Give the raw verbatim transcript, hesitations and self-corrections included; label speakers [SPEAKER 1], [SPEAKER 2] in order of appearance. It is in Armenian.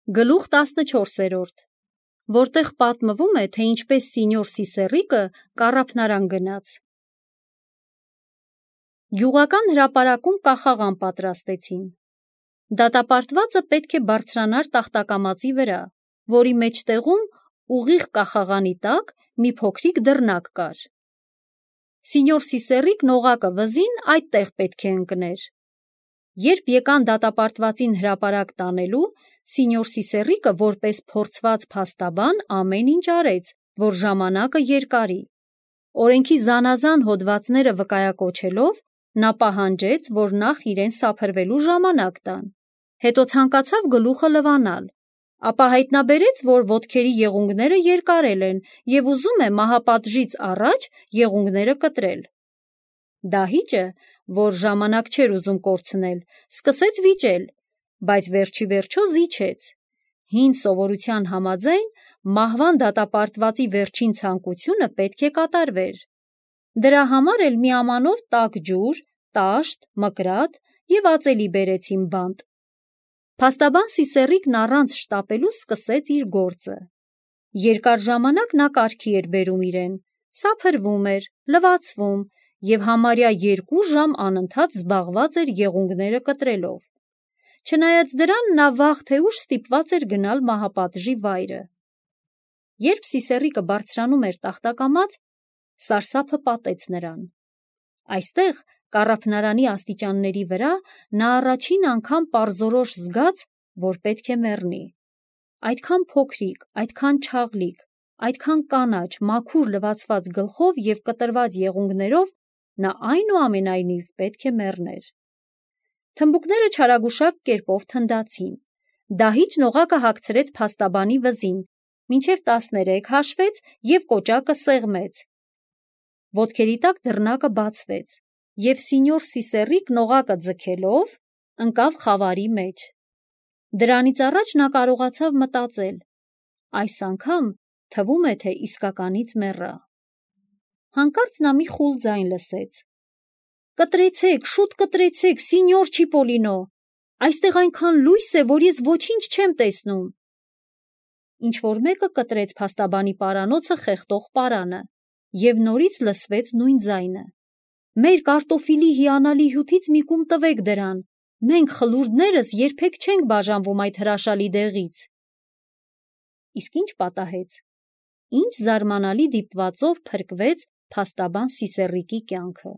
[SPEAKER 1] Գլուխ տասնչորսերորդ, որտեղ պատմվում է, թե ինչպես սինյոր Սիսեռիկը կառափնարան գնաց։ Գյուղական հրապարակում կախաղան պատրաստեցին։ Դատապարտվածը պետք է բարձրանար տախտակամածի վրա, որի մեջտեղում ուղիղ կախաղանի տակ մի փոքրիկ դռնակ կար։ Սինյոր Սիսեռիկն օղակը վզին այդտեղ պետք է ընկներ։ Երբ եկան դատապարտվածին հրապարակ տանելու, սինյոր Սիսեռիկը որպես փորձված փաստաբան ամեն ինչ արեց, որ ժամանակը երկարի։ Օրենքի զանազան հոդվածները վկայակոչելով, նա պահանջեց, որ նախ իրեն սափրվելու ժամանակ տան, հետո ցանկացավ գլուխը լվանալ, ապա հայտնաբերեց, որ ոտքերի եղունգները երկարել են և ուզում է մահապատժից առաջ եղունգները կտրել։ Դահիճը, որ ժամանակ չէր ուզում կորցնել, սկսեց վիճել, բայց վերջի վերջո զիջեց։ Հին սովորության համաձայն մահվան դատապարտվածի վերջին ցանկությունը պետք է կատարվեր։ Դրա համար էլ մի ամանով տաք ջուր, տաշտ, մկրատ և ածելի բերեցին բանտ։ Փաստաբան Սիսեռիկն առանց շտապելու սկսեց իր գործը։ Երկար ժամանակ նա կարգի էր բերում իրեն, սափրվում էր, լվացվում և համարյա երկու ժամ անընդհատ զբաղված էր եղունգները կտրելով։ Չնայած դրան, նա վաղ թե ուշ ստիպված էր գնալ մահապատժի վայրը։ Երբ Սիսեռիկը բարձրանում էր տախտակամաց, սարսափը պատեց նրան։ Այստեղ, կառափնարանի աստիճանների վրա, նա առաջին անգամ պարզորոշ զգաց, որ պետք է մեռնի։ Այդքան փոքրիկ, այդքան չաղլիկ, այդքան կանաչ, մաքուր լվացված գլխով և կտրված եղունգներով նա այնուամենայնիվ պետք է մեռներ։ Թմբուկները չարագուշակ կերպով թնդացին։ Դահիճն օղակը հագցրեց փաստաբանի վզին, մինչև տասներեք հաշվեց և կոճակը սեղմեց։ Ոտքերի տակ դռնակը բացվեց, և սինյոր Սիսեռիկն օղակը ձգելով ընկավ խավարի մեջ։ Դրանից առաջ նա կարողացավ մտածել. այս անգամ թվում է, թե իսկականից մեռա։ Հանկարծ նա մի խուլ ձայն լսեց. «Կտրեցեք, շուտ կտրեցեք, սինյոր Չիպոլինո, այստեղ այնքան լույս է, որ ես ոչինչ չեմ տեսնում»։ Ինչ-որ մեկը կտրեց փաստաբանի պարանոցը խեղդող պարանը, և նորից լսվեց նույն ձայնը. «Մեր կարտոֆիլի հիանալի հյութից մի կում տվեք դրան, մենք խլուրդներս երբեք չենք բաժանվում այդ հրաշալի դեղից»։ Իսկ ի՞նչ պատահեց։ Ինչ զարմանալի դիպվածով փրկվեց փաստաբան Սիսեռիկի կյանքը։